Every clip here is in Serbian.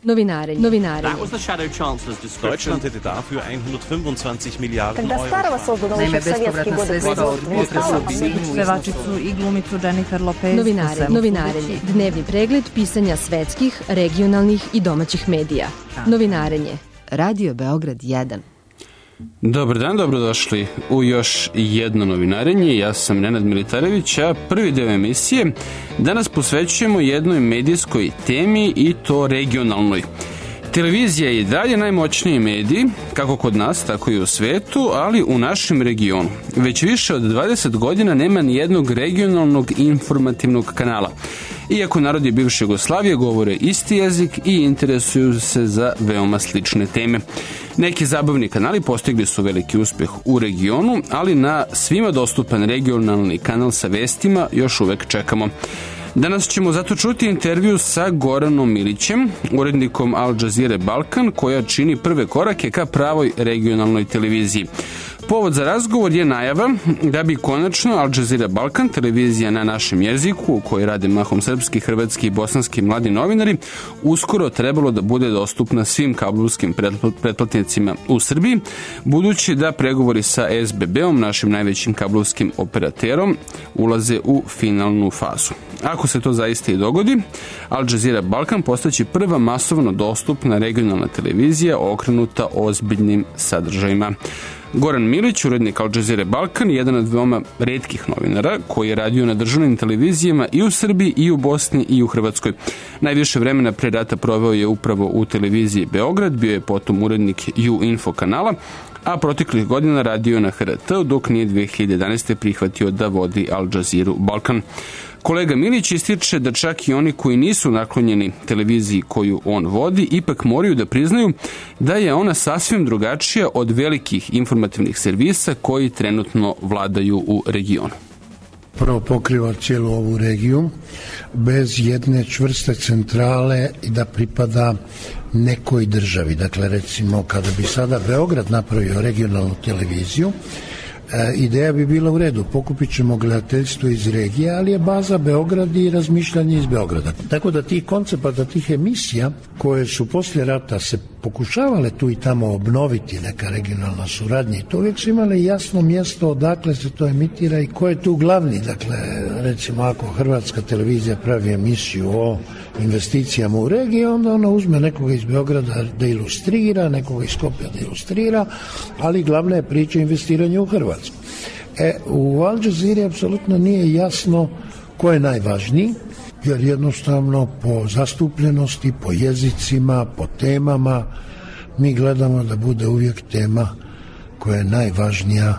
Novinarenje. Deutschland hätte dafür 125 Milijarden Euro. Naime, bespovratna sredstva od pevačicu i glumicu Jennifer Lopez. Novinarenje. Dnevni pregled pisanja svetskih, regionalnih i domaćih medija. Novinarenje. Radio Beograd 1. Dobar dan, dobrodošli u još jedno novinarenje. Ja sam Nenad Militarević, a prvi deo emisije danas posvećujemo jednoj medijskoj temi i to regionalnoj. Televizija je i dalje najmoćniji medij, kako kod nas, tako i u svetu, ali u našem regionu. Već više od 20 godina nema ni jednog regionalnog informativnog kanala. Iako narodi bivše Jugoslavije govore isti jezik i interesuju se za veoma slične teme. Neki zabavni kanali postigli su veliki uspeh u regionu, ali na svima dostupan regionalni kanal sa vestima još uvek čekamo. Danas ćemo zato čuti intervju sa Goranom Milićem, urednikom Al Jazeere Balkan, koja čini prve korake ka pravoj regionalnoj televiziji. Povod za razgovor je najava da bi konačno Al Jazeera Balkan, televizija na našem jeziku, u kojoj rade mahom srpski, hrvatski i bosanski mladi novinari, uskoro trebalo da bude dostupna svim kablovskim pretplatnicima u Srbiji, budući da pregovori sa SBB-om, našim najvećim kablovskim operaterom, ulaze u finalnu fazu. Ako se to zaista i dogodi, Al Jazeera Balkan postaće prva masovno dostupna regionalna televizija okrenuta ozbiljnim sadržajima. Goran Milić, urednik Al Jazeere Balkan, jedan od veoma retkih novinara koji je radio na državnim televizijama i u Srbiji, i u Bosni, i u Hrvatskoj. Najviše vremena pre rata proveo je upravo u televiziji Beograd, bio je potom urednik U-Info kanala, a proteklih godina radio na HRT, dok nije 2011. prihvatio da vodi Al Jazeera Balkan. Kolega Milić ističe da čak i oni koji nisu naklonjeni televiziji koju on vodi, ipak moraju da priznaju da je ona sasvim drugačija od velikih informativnih servisa koji trenutno vladaju u regionu. Prvo pokriva cijelu ovu regiju bez jedne čvrste centrale i da pripada nekoj državi. Dakle, recimo, kada bi sada Beograd napravio regionalnu televiziju, ideja bi bila u redu, pokupit ćemo gledateljstvo iz regije, ali je baza Beograd i razmišljanje iz Beograda. Tako da tih koncepata, tih emisija koje su poslije rata se pokušavale tu i tamo obnoviti, neka regionalna suradnja, i to uvijek su imale jasno mjesto odakle se to emitira i ko je tu glavni. Dakle, recimo ako Hrvatska televizija pravi emisiju o investicijama u regiji, onda ona uzme nekoga iz Beograda da ilustrira, nekoga iz Skopja da ilustrira, ali glavna je priča investiranja u Hrvatsku. U Al Jazeera apsolutno nije jasno ko je najvažniji, jer jednostavno po zastupljenosti, po jezicima, po temama, mi gledamo da bude uvijek tema koja je najvažnija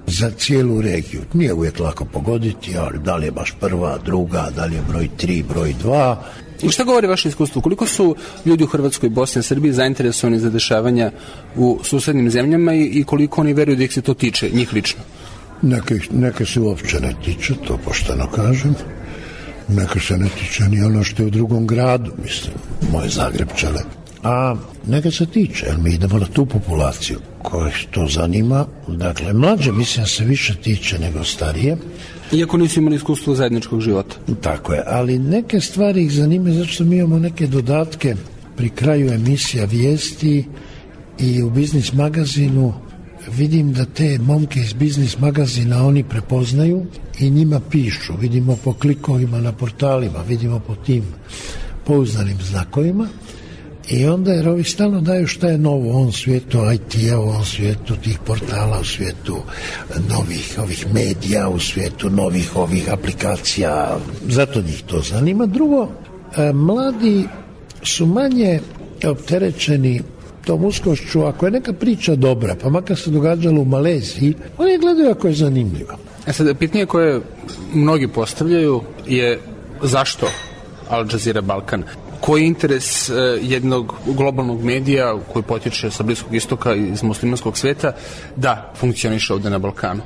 za cijelu regiju. Nije uvijek lako pogoditi, ali da li je baš prva, druga, da li je broj 3, broj 2. I šta govori vaše iskustvo? Koliko su ljudi u Hrvatskoj, Bosni i Srbiji zainteresovani za dešavanja u susednim zemljama i koliko oni veruju da ih se to tiče, njih lično? Neke se uopće ne tiče, to pošteno kažem. Neka se ne tiče ni ono što je u drugom gradu, mislim, moje Zagrebčane. A neka se tiče, jer mi idemo na tu populaciju koja to zanima. Dakle, mlađe, mislim, se više tiče nego starije. Iako nisu imali iskustvo zajedničkog života. Tako je, ali neke stvari ih zanimaju, zato što mi imamo neke dodatke pri kraju emisija vijesti i u Biznis magazinu. Vidim da te momke iz Biznis magazina oni prepoznaju i njima pišu. Vidimo po klikovima na portalima, vidimo po tim pouzdanim znakovima. I onda jer ovi stalno daju šta je novo u ovom svijetu IT-a, u ovom svijetu tih portala, u svijetu novih ovih medija, u svijetu novih ovih aplikacija. Zato njih to zanima. Drugo, mladi su manje opterećeni tom uskošću, ako je neka priča dobra, pa makar se događalo u Maleziji, oni je gledaju ako je zanimljiva. Sad, pitanje koje mnogi postavljaju je zašto Al Jazeera Balkan? Koji je interes jednog globalnog medija koji potiče sa Bliskog istoka i iz muslimanskog sveta da funkcioniše ovde na Balkanu?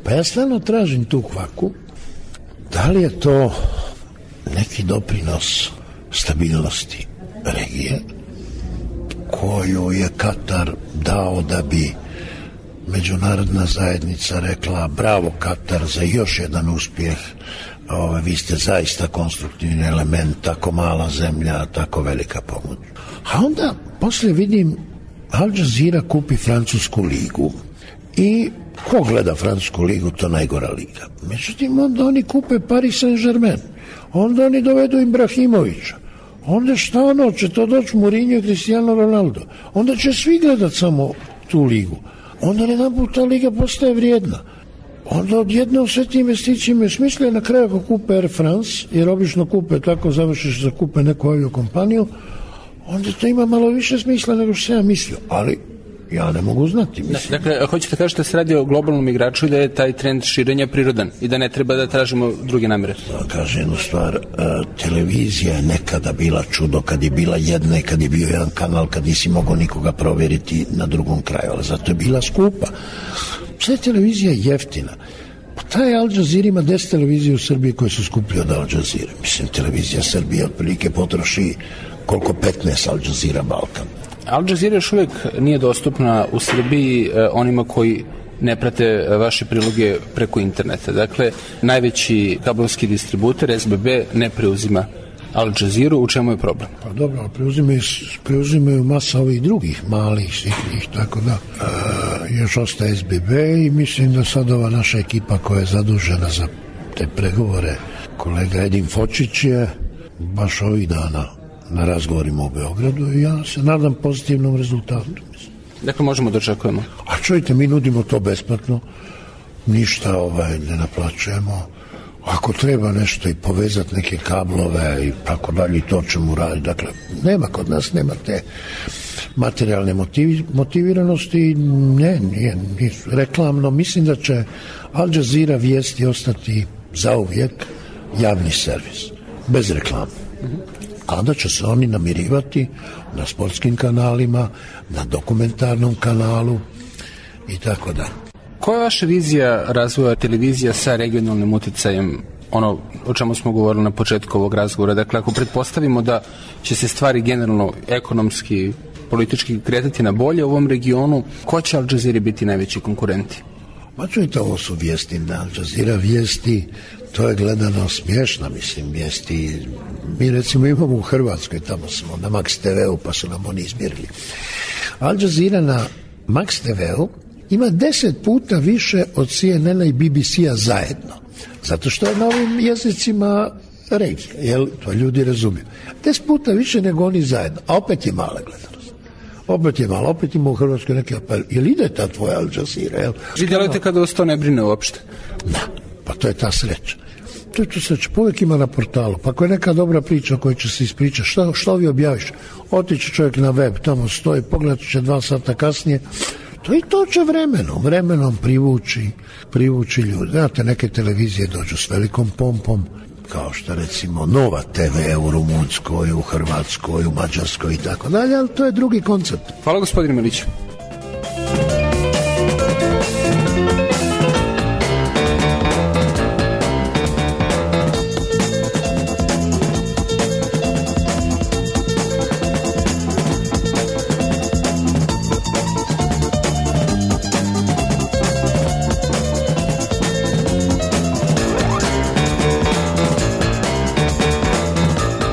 Pa ja stvarno tražim tu kvaku. Da li je to neki doprinos stabilnosti regije koju je Katar dao da bi međunarodna zajednica rekla bravo Katar za još jedan uspjeh, vi ste zaista konstruktivni element, tako mala zemlja, tako velika pomoć. A onda poslije vidim Al Jazeera kupi Francusku ligu i ko gleda Francusku ligu, to najgora liga. Međutim, onda oni kupe Paris Saint-Germain, onda oni dovedu Ibrahimovića, onda šta će to doći Mourinho i Cristiano Ronaldo, onda će svi gledat samo tu ligu, onda jedan ta liga postaje vrijedna. Onda odjednom sve ti investicije imaju smisla, na kraju ako kupe Air France, jer obično kupe, tako završiš da kupe neku aviokompaniju, onda to ima malo više smisla nego što sam ja mislio, ali ja ne mogu znati. Dakle, hoćete kažete da se radi o globalnom igraču i da je taj trend širenja prirodan i da ne treba da tražimo druge namere? Da kažem jednu stvar, televizija je nekada bila čudo kad je bila jedna i kad je bio jedan kanal, kad nisi mogao nikoga provjeriti na drugom kraju, ali zato je bila skupa. Sve televizija je jeftina. Pa taj Al Jazeera ima 10 televizije u Srbiji koje su skuplje od Al Jazeera. Mislim, televizija Srbije otprilike potroši koliko 15 Al Jazeera Balkan. Al Jazeera još uvijek nije dostupna u Srbiji onima koji ne prate vaše priloge preko interneta. Dakle, najveći kablovski distributer SBB ne preuzima Al Jazeera, u čemu je problem? Pa dobro, preuzimaju masa ovih drugih malih, sitnih, tako da još ostaje SBB i mislim da sad ova naša ekipa koja je zadužena za te pregovore, kolega Edin Fočić je baš ovih dana na razgovorima u Beogradu i ja se nadam pozitivnom rezultatu. Dakle, možemo da očekujemo. A čujte, mi nudimo to besplatno, ništa ne naplaćujemo. Ako treba nešto i povezati neke kablove i tako dalje, to ćemo raditi. Dakle, kod nas nema te materijalne motiviranosti, nije reklamno. Mislim da će Al Jazeera vijesti ostati zauvijek javni servis, bez reklame. A onda će se oni namirivati na sportskim kanalima, na dokumentarnom kanalu i tako dalje. Koja je vaša vizija razvoja televizija sa regionalnim utjecajem, ono o čemu smo govorili na početku ovog razgovora? Dakle, ako pretpostavimo da će se stvari generalno ekonomski, politički kretati na bolje u ovom regionu, ko će Al Jazeera biti najveći konkurenti? Ma čujte, ovo su vijesti na Al Jazeera vijesti, to je gledano smiješna, mislim, vijesti. Mi recimo imamo u Hrvatskoj, tamo smo na Max TV-u, pa su nam oni izmjerili. Al Jazeera na Max TV-u ima 10 puta više od CNN-a i BBC-a zajedno. Zato što je na ovim jezicima regija, jel, to ljudi razumiju. 10 puta više nego oni zajedno, a opet je mala gledanost. Opet ima u Hrvatskoj neki apel. Jel ide ta tvoja Al Jazeera, jel? Vi djelujete kada vas to ne brine uopšte? Da, pa to je ta sreća. To je to sreća, uvijek ima na portalu. Pa ako je neka dobra priča koju će se ispričati, što vi objaviš? Otići čovjek na web, tamo stoji, pogledat će 2 sata kasnije. To će vremenom privući ljudi. Znate, neke televizije dođu s velikom pompom, kao što recimo Nova TV u Rumunjskoj, u Hrvatskoj, u Mađarskoj i tako dalje, ali to je drugi koncept. Hvala gospodine Miliću.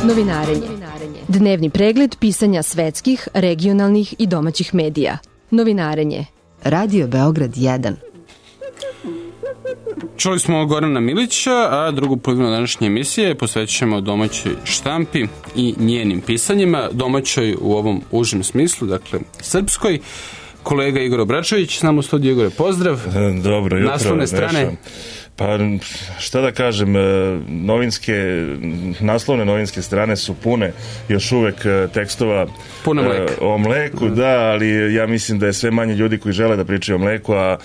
Novinarenje. Dnevni pregled pisanja svetskih, regionalnih i domaćih medija. Novinarenje. Radio Beograd 1. Čuli smo Gorana Milića, a drugu polovinu današnje emisije posvećujemo domaćoj štampi i njenim pisanjima, domaćoj u ovom užem smislu, dakle srpskoj. Kolega Igor Obračević, s nama u studiju. Igore, pozdrav. Dobro jutro. Naslovne strane. Pa šta da kažem, naslovne novinske strane su pune još uvek tekstova o mleku, da, ali ja mislim da je sve manje ljudi koji žele da pričaju o mleku, a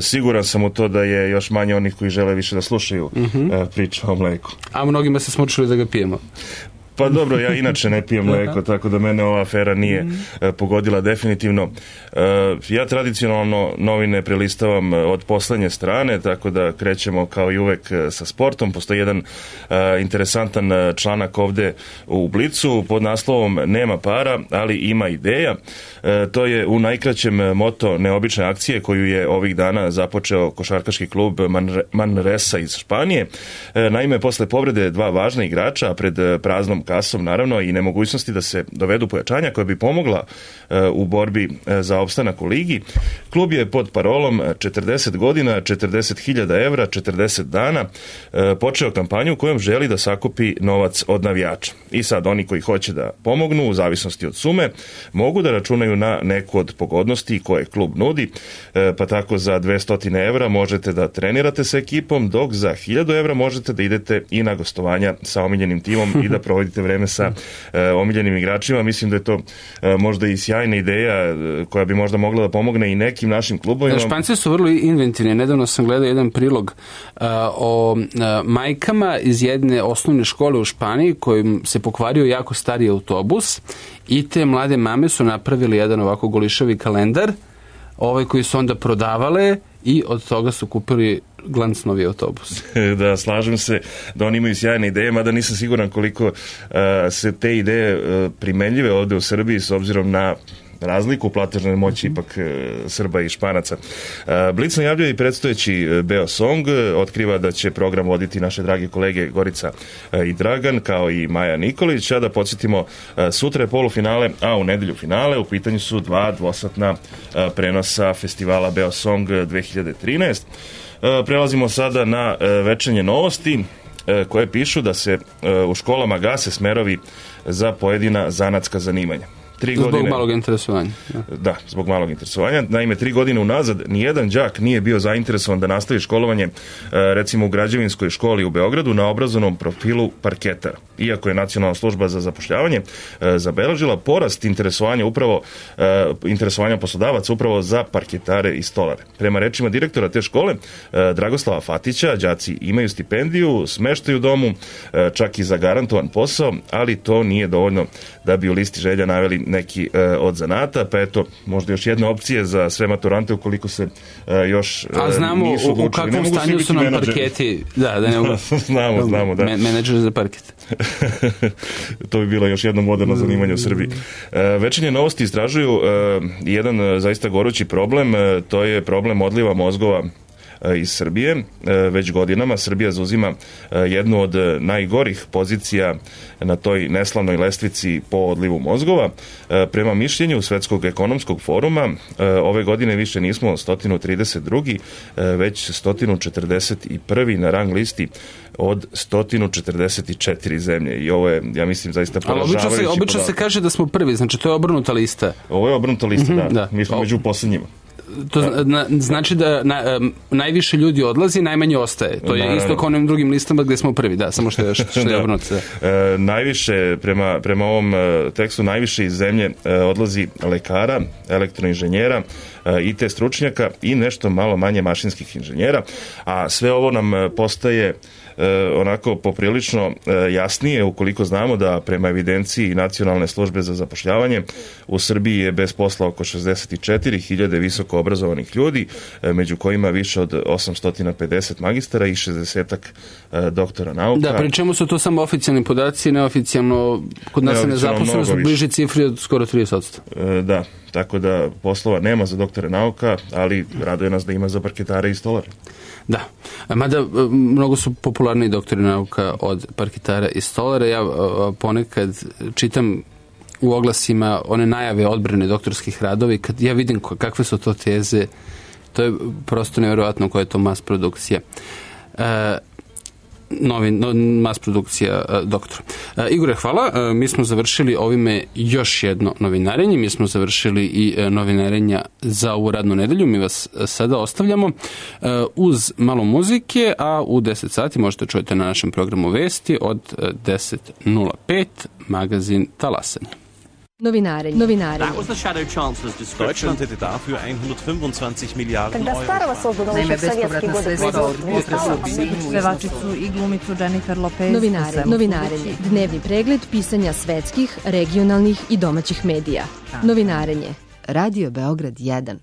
siguran sam u to da je još manje onih koji žele više da slušaju priče o mleku. A mnogima se smučili da ga pijemo. Pa dobro, ja inače ne pijem mleko, tako da mene ova afera nije pogodila definitivno. Ja tradicionalno novine prelistavam od poslednje strane, tako da krećemo kao i uvek sa sportom. Postoji jedan interesantan članak ovde u Blicu pod naslovom Nema para, ali ima ideja. To je u najkraćem moto neobične akcije koju je ovih dana započeo košarkaški klub Manresa iz Španije. Naime, posle povrede dva važna igrača, pred praznom kasom naravno i nemogućnosti da se dovedu pojačanja koja bi pomogla u borbi za opstanak u ligi, klub je pod parolom 40 godina, 40.000 evra, 40 dana počeo kampanju kojom želi da sakupi novac od navijača. I sad oni koji hoće da pomognu u zavisnosti od sume mogu da računaju na neku od pogodnosti koje klub nudi, pa tako za 200 evra možete da trenirate sa ekipom, dok za 1000 evra možete da idete i na gostovanja sa omiljenim timom i da provodite vreme sa omiljenim igračima. Mislim da je to možda i sjajna ideja koja bi možda mogla da pomogne i nekim našim klubovima. Španci su vrlo inventivni. Nedavno sam gledao jedan prilog o majkama iz jedne osnovne škole u Španiji kojim se pokvario jako stari autobus i te mlade mame su napravili jedan ovako golišavi kalendar koji su onda prodavale i od toga su kupili glanc novi autobus. Da, slažem se da oni imaju sjajne ideje, mada nisam siguran koliko se te ideje primenljive ovde u Srbiji s obzirom na razliku platežne moći ipak Srba i Španaca. Blic najavljuje i predstojeći Beosong, otkriva da će program voditi naše dragi kolege Gorica i Dragan, kao i Maja Nikolić, a da podsjetimo, sutra je polufinale, a u nedelju finale. U pitanju su 2 dvosatna prenosa festivala Beosong 2013. Prelazimo sada na večernje novosti koje pišu da se u školama gase smerovi za pojedina zanatska zanimanja. Zbog malog interesovanja. Da, zbog malog interesovanja. Naime, 3 godine unazad nijedan đak nije bio zainteresovan da nastavi školovanje, recimo u građevinskoj školi u Beogradu, na obrazovnom profilu parketara. Iako je Nacionalna služba za zapošljavanje zabeležila porast interesovanja poslodavaca upravo za parketare i stolare. Prema rečima direktora te škole, Dragoslava Fatića, đaci imaju stipendiju, smeštaju u domu, čak i zagarantovan posao, ali to nije dovoljno da bi u listi želja naveli neki od zanata, pa eto, možda još jedna opcija za sve maturante ukoliko se još znamo nisu odlučili. U kakvom stanju su nam parketi. Da ne mogu. Znamo, da. Menadžer za parket. To bi bilo još jedno moderno zanimanje u Srbiji. Večernje novosti istražuju jedan zaista gorući problem, to je problem odliva mozgova iz Srbije. Već godinama Srbija zauzima jednu od najgorih pozicija na toj neslavnoj lestvici po odlivu mozgova. Prema mišljenju Svetskog ekonomskog foruma, ove godine više nismo 132. već 141. na rang listi od 144 zemlje. I ovo je, ja mislim, zaista poražavajući podatak. Ali obično se kaže da smo prvi, znači to je obrnuta lista. Ovo je obrnuta lista, da. Mi smo među poslednjima. To znači da najviše ljudi odlazi, najmanje ostaje. To je isto kao onim drugim listama gde smo prvi, da, samo što je obrnuto. Najviše, prema ovom tekstu, najviše iz zemlje odlazi lekara, elektroinženjera, IT stručnjaka i nešto malo manje mašinskih inženjera, a sve ovo nam postaje onako poprilično jasnije ukoliko znamo da prema evidenciji Nacionalne službe za zapošljavanje u Srbiji je bez posla oko 64.000 visoko obrazovanih ljudi, među kojima više od 850 magistara i 60-ak doktora nauka. Da, pri čemu su to samo oficijalni podaci, neoficijalno kod nas je nezaposlenost bliži cifri od skoro 30%. Da, tako da poslova nema za doktore nauka, ali raduje nas da ima za parketare i stolare. Da, mada mnogo su popularni doktori nauka od parketara i stolara. Ja ponekad čitam u oglasima one najave odbrane doktorskih radova i kad ja vidim kakve su to teze, to je prosto nevjerojatno koja je to mas produkcija. Mas produkcija doktora. Igore, hvala. Mi smo završili ovime još jedno novinarenje. Mi smo završili i novinarenja za ovu radnu nedelju. Mi vas sada ostavljamo uz malo muzike, a u 10 sati možete čujete na našem programu Vesti od 10.05 magazin Talasanje. Novinarenje. Deutschland hätte dafür 125 Milliarden Euro. Naime, bespovratna sredstva od pevačicu i glumicu Jennifer Lopez. Novinarenje. Dnevni pregled pisanja svetskih, regionalnih i domaćih medija. Novinarenje. Radio Beograd 1.